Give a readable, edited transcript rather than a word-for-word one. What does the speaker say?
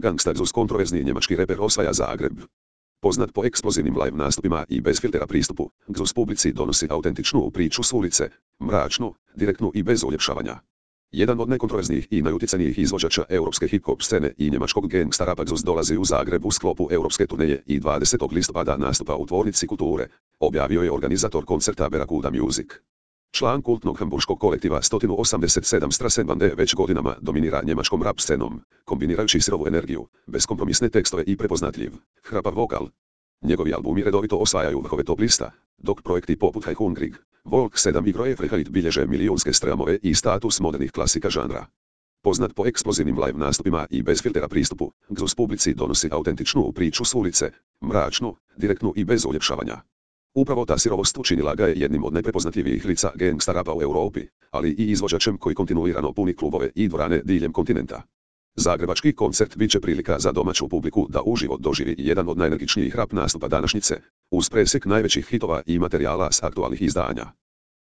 Gangsta Xus kontroverzni njemački reper osvaja Zagreb. Poznat po eksplozivnim live nastupima i bez filtera pristupu, Xus publici donosi autentičnu priču s ulice, mračnu, direktnu i bez uljepšavanja. Jedan od najkontroverznijih i najutjecajnijih izvođača europske hip-hop scene i njemačkog gangsta rapa Xus dolazi u Zagreb u sklopu europske turneje i 20. listopada nastupa u Tvornici kulture, objavio je organizator koncerta Berakuda Music. Član kultnog hamburškog kolektiva 187 Straßenbande već godinama dominira njemačkom rap scenom, kombinirajući sirovu energiju, beskompromisne tekstove i prepoznatljiv, hrapav vokal. Njegovi albumi redovito osvajaju vrhove top lista, dok projekti poput Hey Hungrig, Volk 7 i Groje Freiheit bilježe milijunske streamove i status modernih klasika žanra. Poznat po eksplozivnim live nastupima i bez filtera pristupu, Xus publici donosi autentičnu priču s ulice, mračnu, direktnu i bez uljepšavanja. Upravo ta sirovost učinila ga je jednim od najprepoznatljivijih lica gangsta rapa u Europi, ali i izvođačem koji kontinuirano puni klubove i dvorane diljem kontinenta. Zagrebački koncert bit će prilika za domaću publiku da uživo doživi jedan od najenergičnijih rap nastupa današnjice, uz presjek najvećih hitova i materijala s aktualnih izdanja.